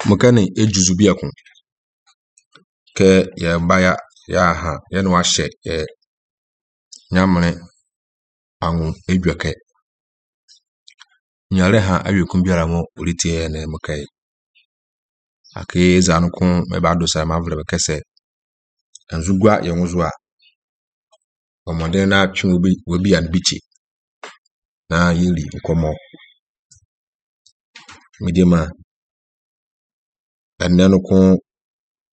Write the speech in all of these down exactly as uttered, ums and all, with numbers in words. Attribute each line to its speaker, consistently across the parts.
Speaker 1: Mokɛne ejuzu biako kɛ yɛba ya yɛaha yɛne wahyɛ yɛ nyamene anwo edwɛkɛ. Nyare ha awiekum biara mo oritie yɛ ne mokɛe. Ake eza no ko mɛba adosa mavrɛ bɛkɛ sɛ nzugua yɛn ho so a ɔmɔden na atwe obi obi an bikyi na yɛli nkɔmmɔ. Mede ma ɛnnɛ no ko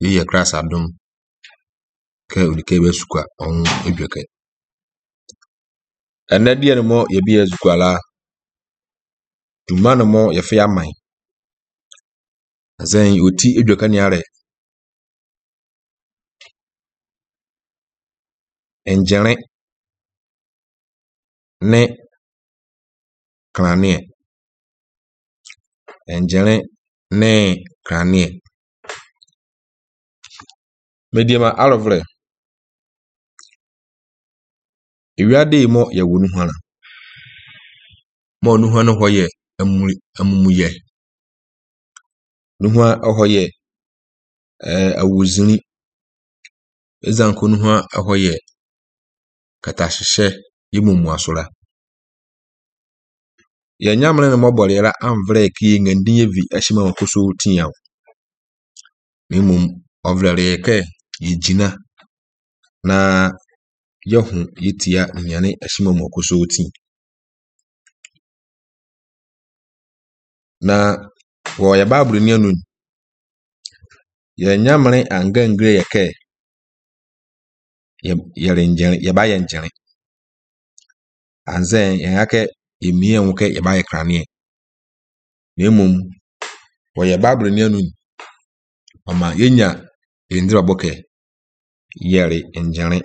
Speaker 1: yɛyɛ kras adom kɛ odike bɛ sukua ɔho edwɛkɛ. Ɛnnɛ deɛ no mɔ yɛbi yɛ sukua la dwuma no mɔ yɛfɛ aman. Azɛn oti edwɛkɛ ne arɛ ngyere ne kraneɛ. Ngyere ne kraneɛ. Mediema alɔvrɛ. Ewiade yi mɔ yɛwɔ nuhwana. Mɔ nuhwa no hɔ yɛ amumuyɛ. Nuhwa hɔ yɛ ɛɛ awuzini. Ezanko nuhwa hɔ yɛ katahyehyɛ yɛ mumuasora. Yɛn nyamene no mɔbɔre yɛra amvrɛ ki ngandi yɛ vi ahyima wɔn koso tiaw. Na mmom ɔvrɛ yɛ kɛ yɛgyina na yɛho yɛtia nyane ahyima wɔn koso ti. Na wɔ yɛ Bible ni anu yɛn nyamene angangire yɛ kɛ yɛ yɛrengyere yɛba yɛ ngyere. Anzɛn yɛn akɛ yɛmie ho kɛ yɛba yɛ kraneɛ. Na mmom wɔ yɛ Bible ni anu ɔma yɛnya yɛn ndira bɔ kɛ yɛre ngyere.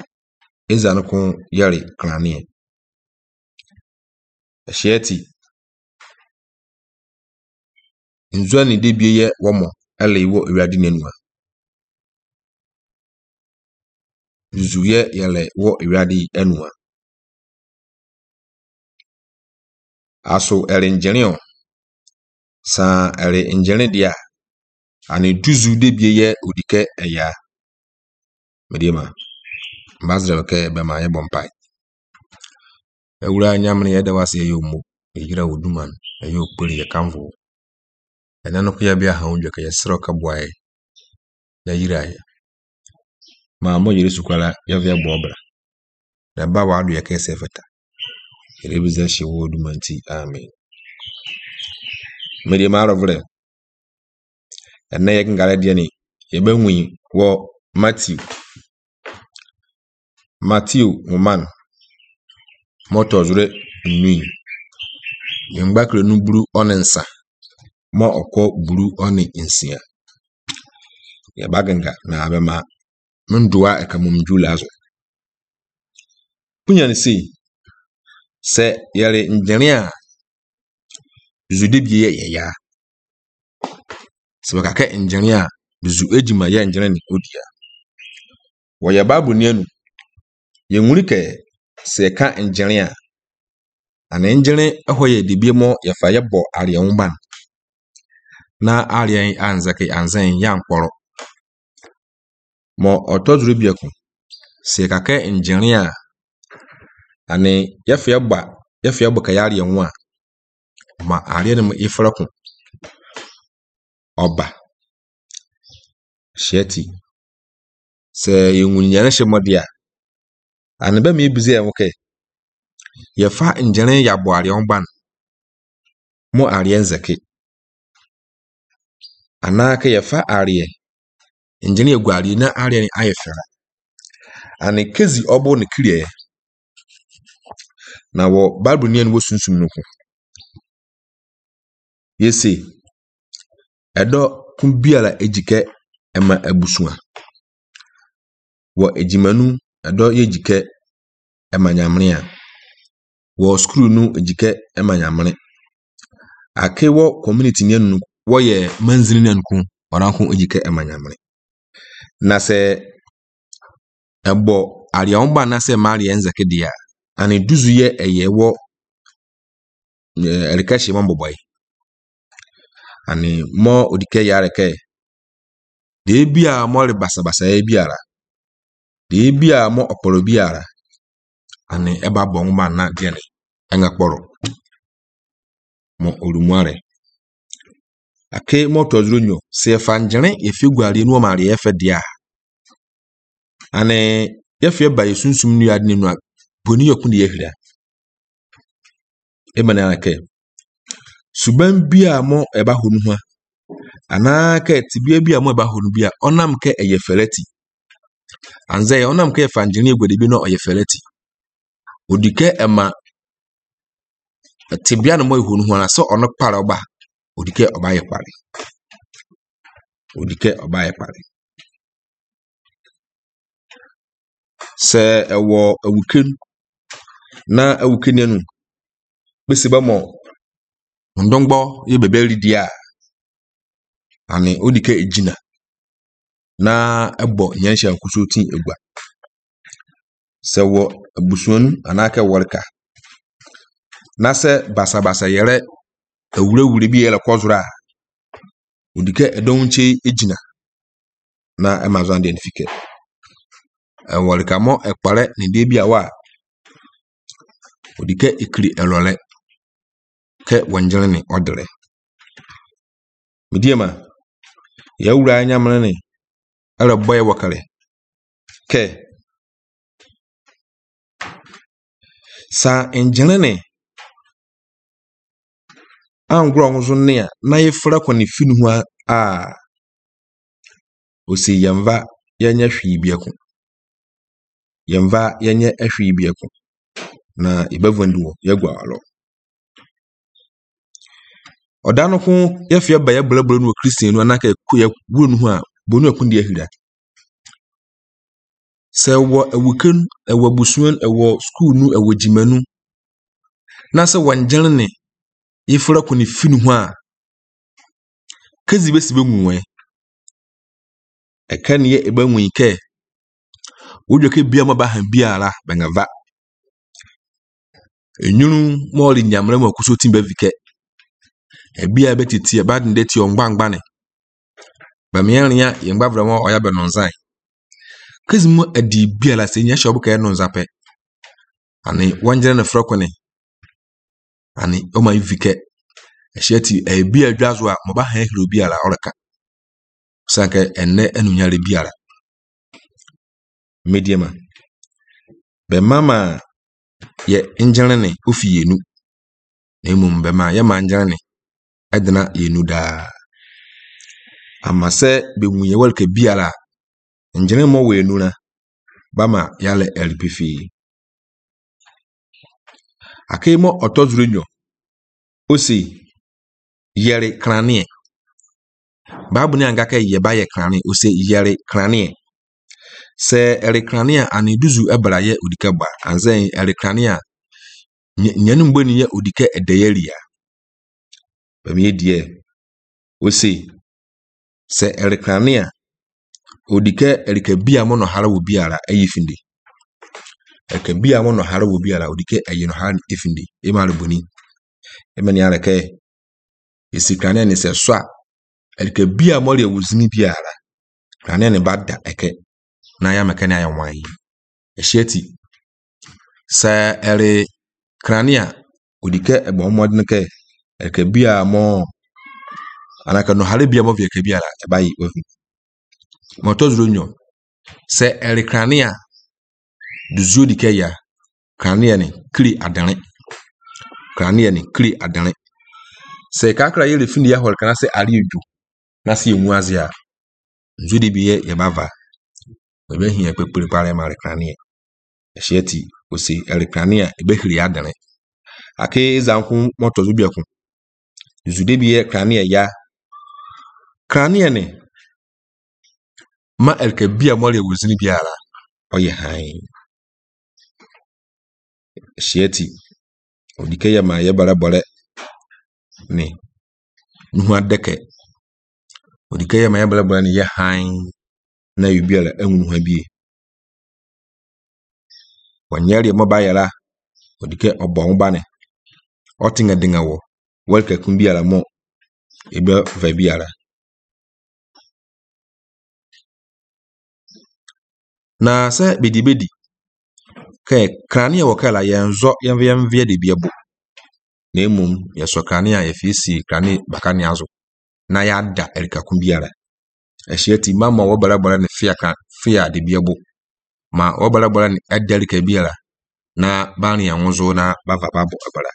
Speaker 1: Eza no ko yɛre kraneɛ. Ɛhyɛ ti nzua ne debie yɛ wɔmɔ ɛle wɔ Awurade n'anua. Nzu yɛ yɛlɛ wɔ Awurade anua. Aso ɛre ngyere o. Saa ɛre ngyere deɛ a ane duzu debie yɛ odikɛ ɛya. Mediema mbazrɛ kɛ bɛma yɛbɔ mpae. Awura nyamene yɛda wase yɛ omo yɛyira wo duman ɛyɛ okpere yɛ kamfo. Ɛnɛ no ko yɛ bia ha wodwa kɛ yɛserɛ ka boae na yira yɛ. Ma mo yere sukwala yɛvɛ bɔ ɔbra. Na ba wa ado yɛ kɛ sɛ fata. Yɛrebisa hyɛ wo duman nti amen. Mediema arɔvrɛ. Ɛnɛ yɛ ngare deɛ ni yɛbɛnwi wɔ Matthew. Matthew nwoma mɔtɔ zoro nnui. Yɛn no buru ɔne nsa ma ɔkɔ buru ɔne nsia. Yɛba genga na abɛma ndoa ɛka mum dwula so. Punya ne sei sɛ yɛre ngyere a zude bie yɛ yɛya. Sɛ wɔkaka ngyere a zu egyima yɛ ngyere ne odia. Wɔyɛ Bible ni anu yɛnwuri kɛ sɛ yɛka ngyere a ane ngyere ɛhɔ yɛ debie mɔ yɛfa yɛbɔ areɛ ho ban na areɛ anzɛke anzɛn yɛ ankpɔrɔ. Mɔ ɔtɔ zoro biako sɛ yɛkaka ngyere a ane yɛfa yɛbɔ yɛfa yɛbɔ ka yɛ areɛ ho a ma areɛ no efra ko ɔba. Hyɛ ti sɛ yɛnwuri nyane hyɛ mɔde a ane bɛma ebize yɛn ho kɛ yɛfa ngyere yɛabɔ areɛ ho ban mo areɛ nzɛke anaa kɛ yɛfa areɛ ngyere egu areɛ na areɛ no ayɛ fɛra ane kezi ɔbɔ ne kiriɛ na wɔ Bible ni wɔ sunsum no ko yɛse ɛdɔ ko biara egyi kɛ ɛma abusua wɔ egyimanu ɛdɔ yɛ gyi kɛ ɛma nyamene a wɔ sukuu no egyi kɛ ɛma nyamene ake wɔ community ni anu wɔyɛ manzini ni anu ko ɔranko egyi kɛ ɛma nyamene na sɛ ɛbɔ areɛ ho ba na sɛ ma areɛ nzɛke deɛ a ane duzu yɛ ɛyɛ wɔ ɛreka hyɛ mɔ mbɔbɔe. Ane mɔ odikɛ yare kɛ deɛ bi a mɔre basabasayɛ biara, deɛ bi a mɔ ɔkpɔrɔ biara, ane ɛba bɔ nwoma na deɛ ne ɛŋa kpɔrɔ mɔ orumuare. Ake mɔ tɔzuro nyɔ sɛ yɛfa ngyene yɛfie guareɛ nu ɔma areɛ yɛfɛ deɛ a, ane yɛfie ba yɛ sunsum nua de ne nu a boni yɛ kun de yɛhwira. Ema ne kɛ suban bi a mɔ ɛba hɔ no ho a, anaa kɛ tibia bi a mɔ ɛba hɔ no bi a ɔnam kɛ ɛyɛ fɛlɛti anzɛ ɔnam kɛ ɛfa ngyene aguade bi na ɔyɛ fɛlɛti odi kɛ ɛma tibia no mɔ ɛhɔ no ho a sɛ ɔno kpare ɔba odi kɛ ɔba yɛ kpare odi kɛ ɔba yɛ kpare. Sɛ ɛwɔ awukem na awuke no bɛsi bɛ mɔ ndɔngbɔ yɛ bɛbɛ redi a, ane odi kɛ egyina na ɛbɔ nyɛnhyɛ nkuso ti egua. Sɛ wɔ abusuanu anaa kɛ wɔreka na sɛ basabasa yɛrɛ awurawura bi yɛrɛ kɔzoro a, odi kɛ ɛdɔm nkyɛn egyina na ɛma zan deɛ ne fi kɛ ɛwɔreka mɔ ɛkpare ne deɛ bi a wa odi kɛ ekiri ɛlɔlɛ kɛ wɔngyene ne ɔdere. Mediema yɛwura nyamene ne ɛrɛbɔ yɛ wɔkare kɛ sa ngyene ne angorɔ nso ne a na yɛfra kɔ ne fi no ho a, osi yɛmva yɛnyɛ hwee biako yɛmva yɛnyɛ hwee biako na yɛbɛvɔndi wɔ yɛgu awalɔ. Ɔda no ko yɛfie ba yɛbrɛbrɛ no wɔ kristian no anaa kɛ yɛwuro no ho a bonu ɛko deɛ ahira. Sɛ ɛwɔ awuke no, ɛwɔ abusua no, ɛwɔ sukuu no, ɛwɔ gyima no, na sɛ wɔngyene ne yɛfra kɔ ne fi no ho a, kezi bɛsi bɛnwu wɛ. Ɛka ne yɛ ɛbɛnwu yi kɛ wodwa kɛ bia ma ba han biara bɛnga va. Enyunu mɔɔle nyamrɛ mu akuso ti bɛvi kɛ ebia bɛtete ɛba de ti ɔngbangba ne bɛmea yɛn gbavra mɔ ɔya bɛ nɔnzan. Kezi mu adi biara sɛ nyɛ hyɛ ɔbɛka yɛ nɔnza pɛ ane wɔngyene ne frɛ kɔ ne ane ɔma ivi kɛ ɛhyɛ ti ebi adwa so a mɔba han hiri obiara ɔreka sanka ɛnɛ ɛnunyare biara. Mediema bɛma ma yɛ ngyene ne ofi yɛnu na mmom bɛma yɛ ma ngyene ne ɛdena yɛnu daa ama sɛ bɛhu yɛ wɔreka biara ngyene mmɔ wɔ yɛnu na bama yɛalɛ ɛre pefee. Akei mɔ ɔtɔ zoro nyɔ ose yɛre kraneɛ. Baabu ne anka kɛ yɛba yɛ kraneɛ, ose yɛre kraneɛ. Sɛ ɛre kraneɛ a ane duzu ɛbra yɛ odikɛ ba anzɛ ɛre kraneɛ a nyanu mbɔ ni yɛ odikɛ ɛdɛyɛ ria. Bɛmi yɛ deɛ ose sɛ ɛre kraneɛ a odikɛ ɛreka bi a mo no hara wɔ biara ɛyɛ finde. Ɛreka bi a mo no hara wɔ biara odikɛ ɛyɛ no hara efinde ema reboni. Ema ni arɛ kɛ esi kraneɛ ne sɛ so a ɛreka bi a mo re wɔ zini biara kraneɛ ne ba da ɛkɛ na ya mɛkɛ ne ayɛ wan. Ɛhyɛ ti sɛ ɛre kraneɛ a odikɛ ɛbɔ mmɔden kɛ ɛreka bi a mo anaka no hare bi a mo fi ɛka bi ara ɛba yi wafi. Mɔtɔ zoro nyɔ sɛ ɛre kraneɛ a duzuo dikɛ ya kraneɛ ne kiri adane kraneɛ ne kiri adane. Sɛ kakra yɛrɛ fi ne yɛ hɔre kana sɛ are dwo na sɛ yɛnwu ase a nzu de bi yɛ yɛba va ɛbɛhia kpekpere pare ma re kraneɛ. Ɛhyɛ ti ose ɛre kraneɛ a ɛbɛhiri adane. Ake zanko mɔtɔ zo biako nzu de bi yɛ kraneɛ ya kraneɛ ne ma ɛreka bi a mɔre wɔ zini biara ɔyɛ hann. Ɛhyɛ ti odike yɛ ma yɛ bɔrɛbɔrɛ ne nuhu adɛkɛ odike yɛ ma yɛ bɔrɛbɔrɛ ne yɛ hann na yɛ biara ɛnwu nuhu abie. Wɔnyɛ deɛ mɔba yɛra odike ɔbɔ ho ba ne ɔtenga denga wɔ wɔreka kun biara mɔ Yɛbɛva biara. Na sɛ bedi bedi kɛ kanea wɔ kɛ la yɛnzɔ yɛmfa yɛmvea de bi ɛbo. Na mmom yɛsɔ kanea a yɛfiesie kanea bakanea so na yɛada ɛrekako biara. Ɛhyɛ ti ma ma wɔbɛrɛbɛrɛ ne fia ka fia de bi ɛbo. Ma wɔbɛrɛbɛrɛ ne ɛda ɛreka biara na baani ɛnwozo na bava babɔ ɛbɛrɛ.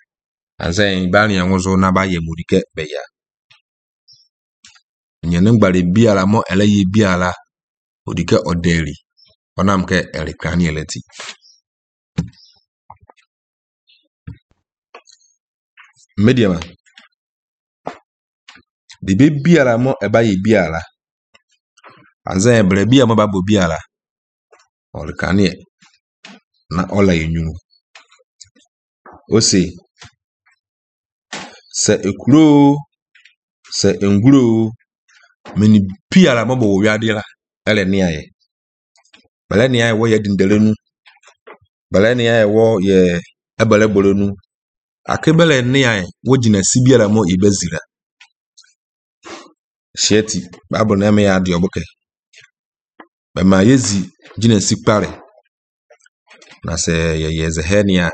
Speaker 1: Ansɛn baani ɛnwozo na bayɛ mudi kɛ bɛya. Nyɛ ngbare biara mɔ ɛlɛyɛ biara odi kɛ ɔdɛri ɔnam kɛ ɛre kanea lɛti. Mmediama. Debe biara mɔ ɛba yɛ biara. Ansɛn brɛ bi a mɔ ba bɔ biara. Ɔre kanea na ɔla yɛ nwunu. Ose sɛ ekuro sɛ nguro mini biara mɔ bɔ wɔ wiade la ɛlɛ ne ayɛ. Bɛlɛ ne ayɛ wɔ yɛ dindɛlɛ nu. Bɛlɛ ne ayɛ wɔ yɛ ɛbɛlɛ bɔlɛ nu. Ake bɛlɛ ne ayɛ wɔ gyina si biara mɔ yɛ bɛ zira. Hyɛ ti Bible na ɛmɛ yɛ adeɛ ɔbɔkɛ. Bɛma yɛzi gyina si kpare. Na sɛ yɛyɛ zɛhɛ nea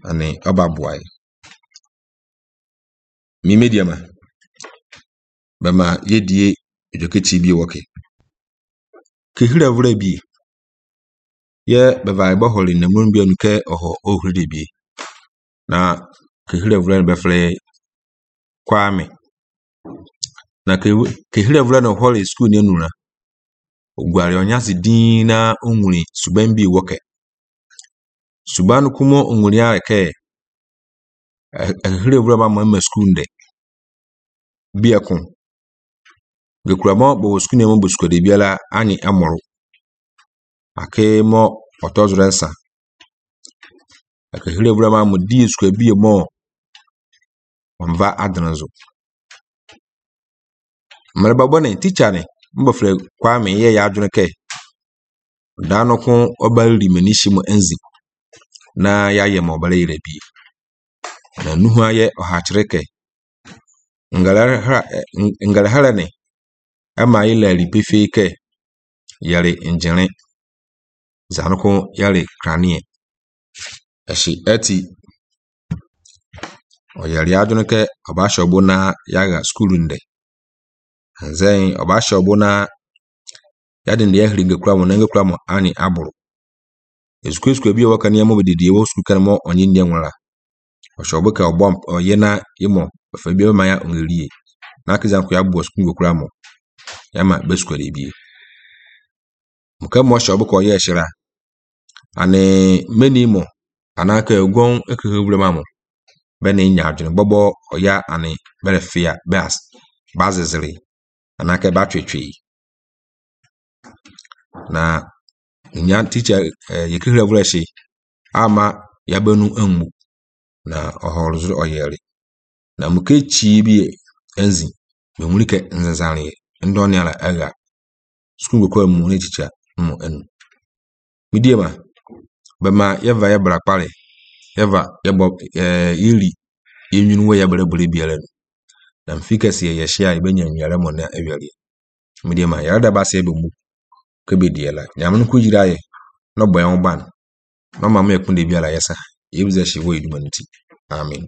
Speaker 1: ane ɔba boae. Mi mediama. Bɛma yɛdie edwokekyi bi wɔke. Kehira vura bi. Yɛ bɛva ɛbɔ hɔle na mu bi anu kɛ ɔhɔ ohuri de bi. Na kehira vura no bɛfrɛ Kwame. Na kehira vura no hɔle sukuu ne nura. Oguare ɔnyase din na onwuri suban bi wɔke. Suban no kumo onwuri a kɛ ɛhira vura ma ma sukuu ndɛ. Bi ɛko. Gekura mɔ bɔ sukuu ne mo bɔ sukuu de biara anyi ɛmɔro. Ake mɔ ɔtɔzoro nsa. Akahira vura ma mo di sukuu bi mɔ ɔmva adene so. Mmerɛba bɔne teacher ne mbɔfrɛ Kwame yɛ yɛ adwene kɛ. Daa no ko ɔba riri m'ani hye mu enzi na yɛayɛ ma ɔbɛrɛ yerɛ bi. Na nuhu ayɛ ɔhakyerɛ kɛ. Ngalahara ne ɛma yɛ lɛri pefee kɛ yɛre ngyere. Zanoko yɛre kraneɛ. Ɛhye ɛti ɔyɛre adwene kɛ ɔba hyɛ ɔbo na yɛaga sukuu ndɛ. Nzɛn ɔba hyɛ ɔbo na yɛde ne yɛhiri ngekura mo na ngekura mo ani aboro. Esukuu sukuu bi a wɔka nneɛma bɛdidi wɔ sukuu kan mo ɔnye nneɛma nwera. Ɔhyɛ ɔbo kɛ ɔbɔ ɔyɛ na yɛmɔ ɔfɛ bi ma ya ɔngerie. Na akiza nko yɛabɔ sukuu ngekura mo. Yɛma bɛ sukuu de bie. Mokɛ mo hyɛ ɔbo kɛ ɔyɛ ɛhyira. Ane meni mo anaa kɛ ogon ekeke wura ma mo. Bɛ ne nya adwene bɔbɔ ɔya ane bɛrɛ fia bɛ as bazezere anaa kɛ batwetwe. Na nya teacher eh, yɛkehira wura hye ama yabɛnu angu na ɔhɔrɔ so ɔyɛre. Na mokɛ kyi bi enzi menwuri kɛ nzanzare ndɔne ala ɛga sukuu ngokɔ mu ne teacher mo enu. Midie ma bɛma yɛva yɛbra kpare yɛva yɛbɔ eh, yɛri yɛnwunu wɔ yɛbrɛ brɛ biara no. Na mfi kɛseɛ yɛhyia a yɛbɛnya nnuare mo na awiareɛ. Midie ma yɛreda ba sɛ yɛbɛmu kɛbɛdi la. Nyame no ko yira yɛ na ɔbɔ yɛn ho ban na ɔma mo yɛ kunde biara yɛsa. Yɛbisa hye wɔ yɛdwuma no ti. Amen.